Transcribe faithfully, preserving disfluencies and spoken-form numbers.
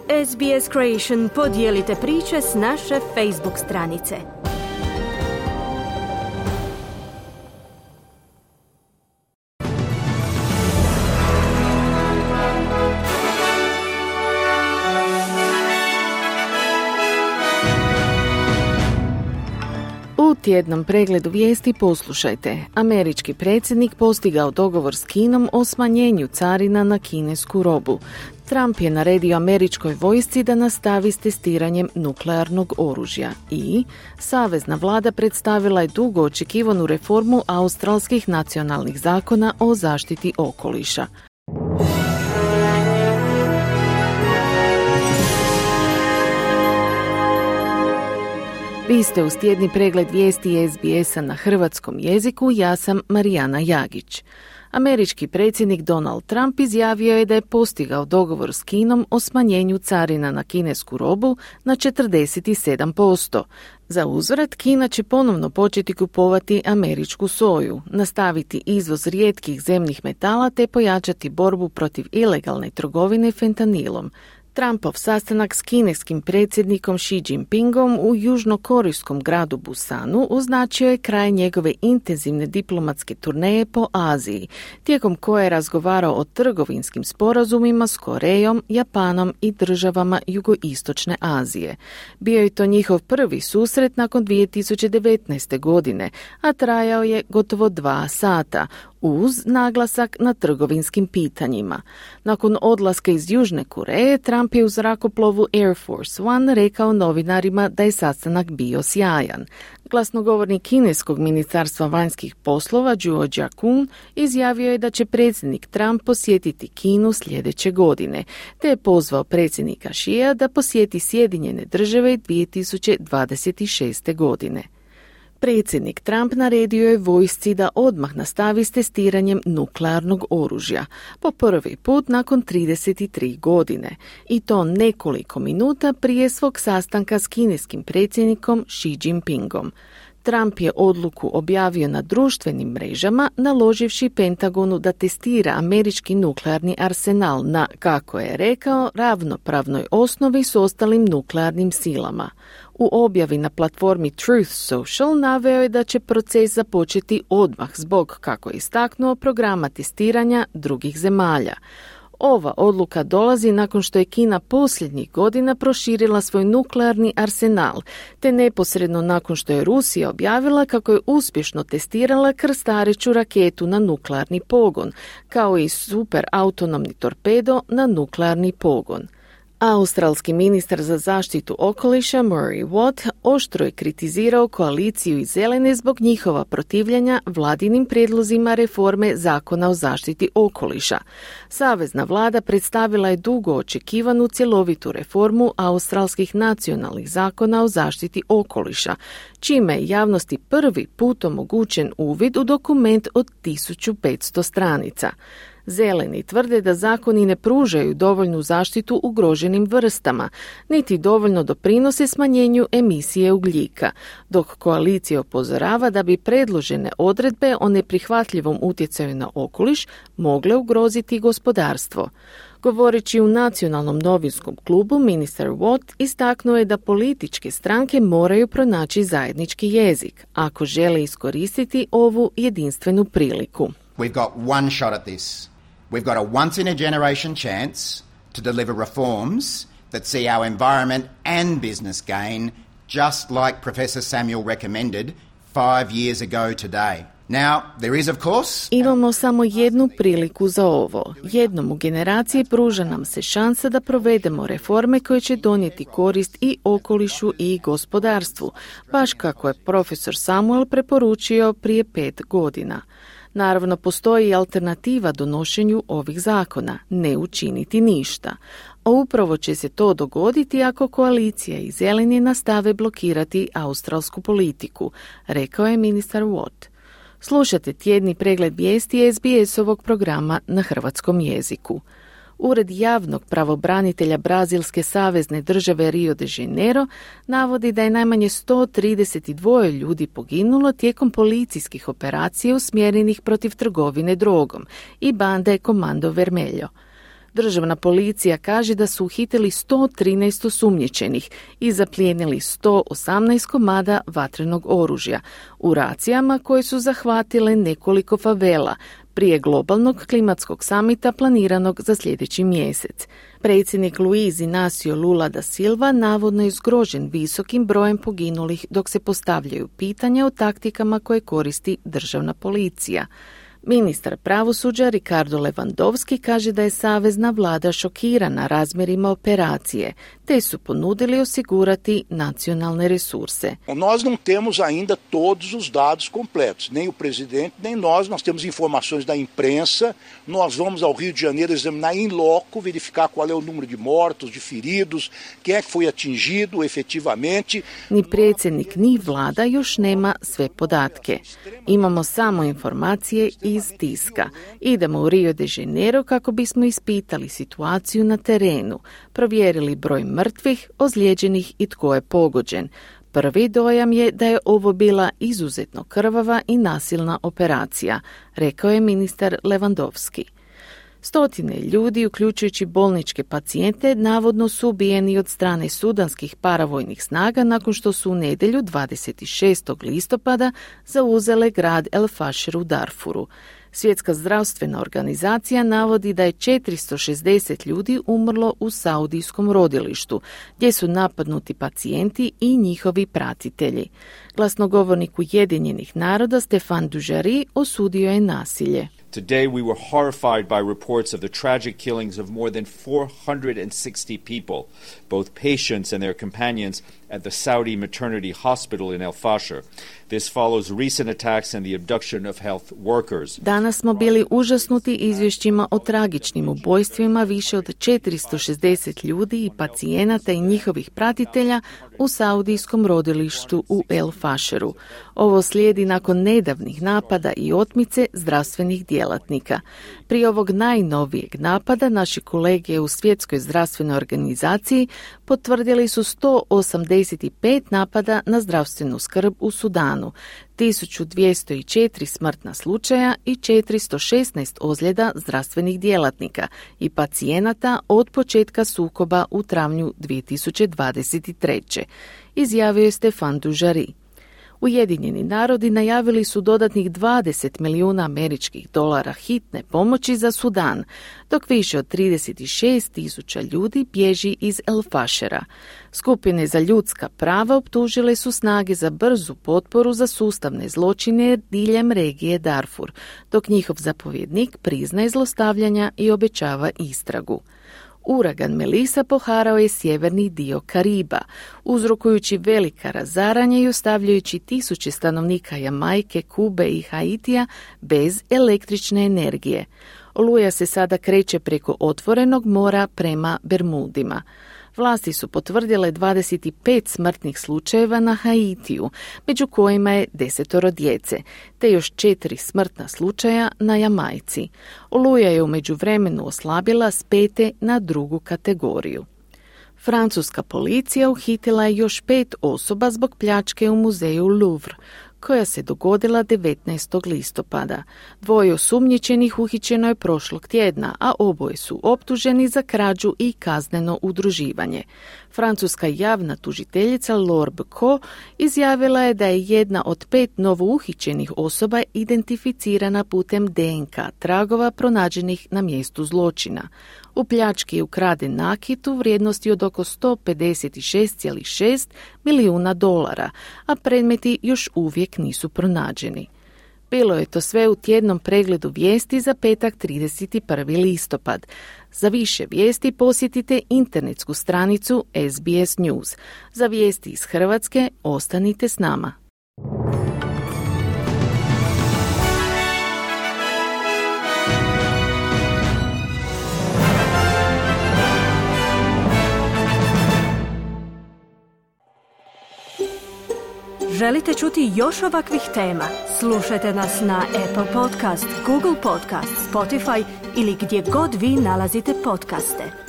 S B S Creation podijelite priče s naše Facebook stranice. U tjednom pregledu vijesti poslušajte. Američki predsjednik postigao dogovor s Kinom o smanjenju carina na kinesku robu. Trump je naredio američkoj vojsci da nastavi s testiranjem nuklearnog oružja. I savezna vlada predstavila je dugo očekivanu reformu australskih nacionalnih zakona o zaštiti okoliša. Vi ste uz tjedni pregled vijesti S B S-a na hrvatskom jeziku, ja sam Marijana Jagić. Američki predsjednik Donald Trump izjavio je da je postigao dogovor s Kinom o smanjenju carina na kinesku robu na četrdeset sedam posto. Za uzvrat, Kina će ponovno početi kupovati američku soju, nastaviti izvoz rijetkih zemnih metala te pojačati borbu protiv ilegalne trgovine fentanilom. Trumpov sastanak s kineskim predsjednikom Xi Jinpingom u južnokorejskom gradu Busanu označio je kraj njegove intenzivne diplomatske turneje po Aziji, tijekom koje je razgovarao o trgovinskim sporazumima s Korejom, Japanom i državama jugoistočne Azije. Bio je to njihov prvi susret nakon dvije tisuće devetnaeste. godine, a trajao je gotovo dva sata, uz naglasak na trgovinskim pitanjima. Nakon odlaska iz Južne Koreje, Trump je u zrakoplovu Air Force One rekao novinarima da je sastanak bio sjajan. Glasnogovornik kineskog ministarstva vanjskih poslova Zhuo Jiakun izjavio je da će predsjednik Trump posjetiti Kinu sljedeće godine, te je pozvao predsjednika Xija da posjeti Sjedinjene države dvije tisuće dvadeset šeste. godine. Predsjednik Trump naredio je vojsci da odmah nastavi s testiranjem nuklearnog oružja, po prvi put nakon trideset tri godine, i to nekoliko minuta prije svog sastanka s kineskim predsjednikom Xi Jinpingom. Trump je odluku objavio na društvenim mrežama, naloživši Pentagonu da testira američki nuklearni arsenal na, kako je rekao, ravnopravnoj osnovi s ostalim nuklearnim silama. U objavi na platformi Truth Social naveo je da će proces započeti odmah zbog, kako je istaknuo, programa testiranja drugih zemalja. Ova odluka dolazi nakon što je Kina posljednjih godina proširila svoj nuklearni arsenal, te neposredno nakon što je Rusija objavila kako je uspješno testirala krstareću raketu na nuklearni pogon, kao i super autonomni torpedo na nuklearni pogon. Australski ministar za zaštitu okoliša Murray Watt oštro je kritizirao koaliciju i zelene zbog njihova protivljenja vladinim prijedlozima reforme zakona o zaštiti okoliša. Savezna vlada predstavila je dugo očekivanu cjelovitu reformu australskih nacionalnih zakona o zaštiti okoliša, čime je javnosti prvi put omogućen uvid u dokument od tisuću petsto stranica. Zeleni tvrde da zakoni ne pružaju dovoljnu zaštitu ugroženim vrstama, niti dovoljno doprinose smanjenju emisije ugljika, dok koalicija upozorava da bi predložene odredbe o neprihvatljivom utjecaju na okoliš mogle ugroziti gospodarstvo. Govoreći u nacionalnom novinskom klubu, ministar Watt istaknuo je da političke stranke moraju pronaći zajednički jezik ako žele iskoristiti ovu jedinstvenu priliku. We've got one shot at this. We've got a once-in-a-generation chance to deliver reforms that see our environment and business gain, just like Professor Samuel recommended five years ago today. Now, there is, of course... Imamo samo jednu priliku za ovo. Jednom u generaciji pruža nam se šansa da provedemo reforme koje će donijeti korist i okolišu i gospodarstvu, baš kako je profesor Samuel preporučio prije pet godina. Naravno, postoji i alternativa donošenju ovih zakona, ne učiniti ništa. A upravo će se to dogoditi ako koalicija i zeleni nastave blokirati australsku politiku, rekao je ministar Watt. Slušate tjedni pregled vijesti S B S-ovog programa na hrvatskom jeziku. Ured javnog pravobranitelja Brazilske savezne države Rio de Janeiro navodi da je najmanje sto trideset dva ljudi poginulo tijekom policijskih operacija usmjerenih protiv trgovine drogom i bande Comando Vermelho. Državna policija kaže da su uhitili sto trinaest osumnjičenih i zaplijenili sto osamnaest komada vatrenog oružja u racijama koje su zahvatile nekoliko favela prije globalnog klimatskog samita planiranog za sljedeći mjesec. Predsjednik Luiz Inácio Lula da Silva navodno je zgrožen visokim brojem poginulih dok se postavljaju pitanja o taktikama koje koristi državna policija. Ministar pravosuđa Ricardo Lewandowski kaže da je savezna vlada šokirana razmjerima operacije, te su ponudili osigurati nacionalne resurse. Nós não temos ainda todos os dados completos, nem o presidente, nem nós. Nós temos informações da imprensa. Nós vamos ao Rio de Janeiro examinar em loco, verificar qual é o número de mortos, de feridos, quem é que foi atingido efetivamente. Ni predsjednik ni vlada još nema sve podatke. Imamo samo informacije iz tiska. Idemo u Rio de Janeiro kako bismo ispitali situaciju na terenu, provjerili broj mrtvih, ozlijeđenih i tko je pogođen. Prvi dojam je da je ovo bila izuzetno krvava i nasilna operacija, rekao je ministar Lewandowski. Stotine ljudi, uključujući bolničke pacijente, navodno su ubijeni od strane sudanskih paravojnih snaga nakon što su u nedjelju dvadeset šestog listopada zauzele grad El Fasher u Darfuru. Svjetska zdravstvena organizacija navodi da je četiristo šezdeset ljudi umrlo u saudijskom rodilištu, gdje su napadnuti pacijenti i njihovi pratitelji. Glasnogovornik Ujedinjenih naroda Stefan Dujarric osudio je nasilje. Today we were horrified by reports of the tragic killings of more than four hundred sixty people, both patients and their companions, at the Saudi maternity hospital in El Fasher. This follows recent attacks and the abduction of health workers. Danas smo bili užasnuti izvješćima o tragičnim ubojstvima više od četiristo šezdeset ljudi i pacijenata i njihovih pratitelja u saudijskom rodilištu u El Fasheru. Ovo slijedi nakon nedavnih napada i otmice zdravstvenih djelatnika. Prije ovog najnovijeg napada naši kolege u Svjetskoj zdravstvenoj organizaciji potvrdili su sto osamdeset pet napada na zdravstvenu skrb u Sudanu, tisuću dvjesto četiri smrtna slučaja i četiristo šesnaest ozljeda zdravstvenih djelatnika i pacijenata od početka sukoba u travnju dvije tisuće dvadeset treće. Izjavio je Stefan Dujarric. Ujedinjeni narodi najavili su dodatnih dvadeset milijuna američkih dolara hitne pomoći za Sudan, dok više od trideset šest tisuća ljudi bježi iz El Fashera. Skupine za ljudska prava optužile su snage za brzu potporu za sustavne zločine diljem regije Darfur, dok njihov zapovjednik priznaje zlostavljanja i obećava istragu. Uragan Melissa poharao je sjeverni dio Kariba, uzrokujući velika razaranja i ostavljajući tisuće stanovnika Jamajke, Kube i Haitija bez električne energije. Oluja se sada kreće preko otvorenog mora prema Bermudima. Vlasti su potvrdile dvadeset pet smrtnih slučajeva na Haitiju, među kojima je desetoro djece, te još četiri smrtna slučaja na Jamajci. Oluja je u međuvremenu oslabila s pete na drugu kategoriju. Francuska policija uhitila je još pet osoba zbog pljačke u muzeju Louvre, koja se dogodila devetnaestog listopada. Dvoje osumnjičenih uhićeno je prošlog tjedna, a oboje su optuženi za krađu i kazneno udruživanje. Francuska javna tužiteljica Laure Becot izjavila je da je jedna od pet novouhićenih osoba identificirana putem D N K tragova pronađenih na mjestu zločina. U pljački je ukraden nakit u vrijednosti od oko sto pedeset šest zarez šest milijuna dolara, a predmeti još uvijek nisu pronađeni. Bilo je to sve u tjednom pregledu vijesti za petak trideset prvi listopad. Za više vijesti posjetite internetsku stranicu S B S News. Za vijesti iz Hrvatske ostanite s nama. Želite čuti još ovakvih tema? Slušajte nas na Apple Podcast, Google Podcast, Spotify ili gdje god vi nalazite podcaste.